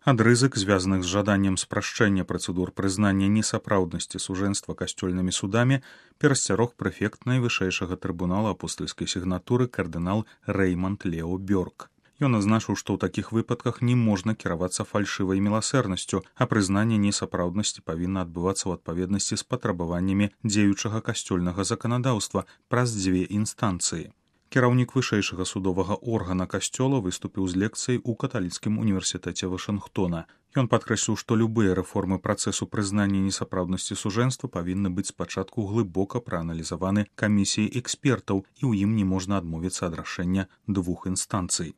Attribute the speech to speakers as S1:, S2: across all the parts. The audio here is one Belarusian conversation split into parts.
S1: Ад рызык, звязаных з жаданнем спрашчэння працэдур прызнання несапраўднасці сужэнства касцёльнымі судамі, перасцярог прэфект найвышэйшага трыбунала апостальскай сігнатуры кардынал Рэйманд Лео Бёрк. Ён азначыў, што ў такіх выпадках не можна кіравацца фальшывай міласэрнасцю, а прызнанне несапраўднасці павінна адбывацца ў адпаведнасці з патрабаваннямі дзеючага касцёльнага заканадаўства праз дзве інстанцыі. Кіраўнік вышэйшага судовага органа касцёла выступіў з лекцыяй у каталіцкім універсітэце Вашынгтона. Ён падкрэсліў, што любыя рэформы працэсу прызнання несапраўднасці сужэнства павінны быць спачатку глыбока прааналізаваны камісіяй экспертаў, і ў ім не можна адмовіцца ад рашэння двух інстанцый.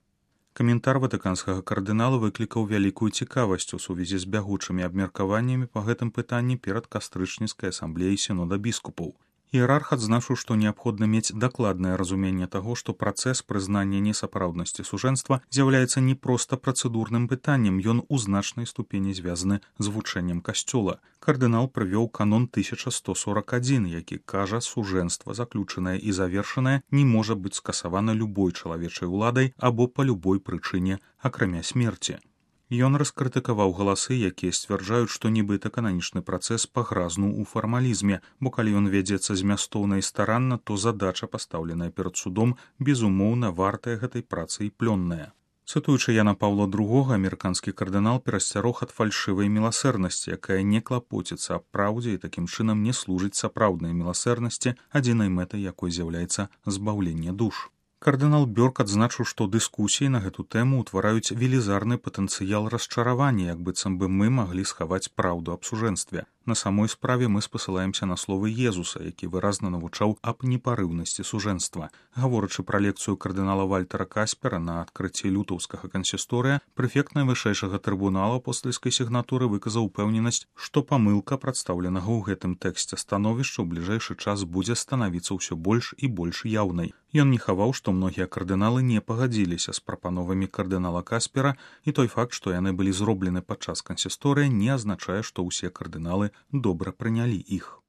S1: Каментар ватыканскага кардынала выклікаў вялікую цікавасць у сувязі з бягучымі абмеркаваннямі па гэтым пытанні перад кастрычніцкай асамблеяй сінода біскупаў. Іерарх адзначыў, што неабходна мець дакладнае разуменне таго, што працэс прызнання несапраўднасці сужэнства з'яўляецца не проста працэдурным пытаннем, ён у значнай ступені звязаны з вучэннем касцёла. Кардынал прывёў канон 1141, які кажа, сужэнства, заключанае і завершанае, не можа быць скасавана любой чалавечай уладай або па любой прычыне, акрамя смерці. Ён раскрытыкаваў галасы, якія сцвярджаюць, што нібыта кананічны працэс пагразнуў у фармалізме, бо калі ён вядзецца змястоўна і старанна, то задача, пастаўленая перад судом, безумоўна вартая гэтай працы і плённая. Цытуючы Яна Паўла II, амерыканскі кардынал перасцярог ад фальшывай міласэрнасці, якая не клапоціцца аб праўдзе і такім чынам не служыць сапраўднай міласэрнасці, адзінай мэтай якой з'яўляецца збаўленне душ. Кардынал Бёрк адзначыў, што дыскусіі на гэту тэму ўтвараюць велізарны патэнцыял расчаравання, як быццам бы мы маглі схаваць праўду аб сужэнстве. На самой справе мы спасылаемся на словы Езуса, які выразна навучаў аб непарыўнасці сужэнства. Гаворачы пра лекцыю кардынала Вальтера Каспера на адкрыцці лютаўскага кансісторыя, прэфект найвышэйшага трыбунала апостальскай сігнатуры выказаў упэўненасць, што памылка прадстаўленага ў гэтым тэксце становішча ў бліжэйшы час будзе станавіцца ўсё больш і больш яўнай. Ён не хаваў, што многія кардыналы не пагадзіліся з прапановамі кардынала Каспера, і той факт, што яны былі зроблены падчас кансісторыя, не азначае, што ўсе кардыналы добра прынялі іх.